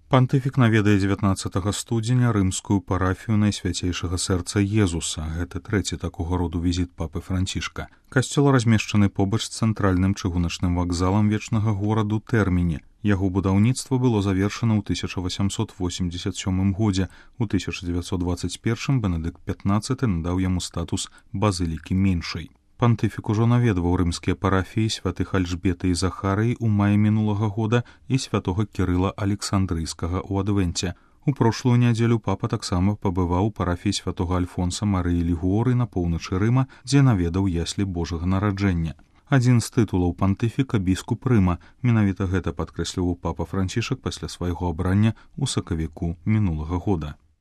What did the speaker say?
Пантыфік наведае 19 студзеня рымскую парафію Найсвяцейшага сэрца Езуса. Гэта трэці такога роду візіт папы Францішка. Касцёл размешчаны побач з цэнтральным чыгуначным вакзалам вечнага гораду Тэрміне. Яго будаўніцтва было завершана ў 1887 годзе. У 1921 Бенедыкт XV надаў яму статус базылікі меншай. Пантыфік ужо наведваў рымскія парафіі святых Альжбеты і Захарыі ў маі мінулага года і святога Кірыла Александрыйскага ў Адвенце. У прошлую нядзелю папа таксама пабываў у парафіі святога Альфонса Марыі Лігуоры на поўначы Рыма, дзе наведаў яслі Божага нараджэння. Адзін з тытулаў пантыфіка біскуп Рыма. Менавіта гэта падкрэсліваў папа Францішак пасля свайго абрання ў сакавіку мінулага года.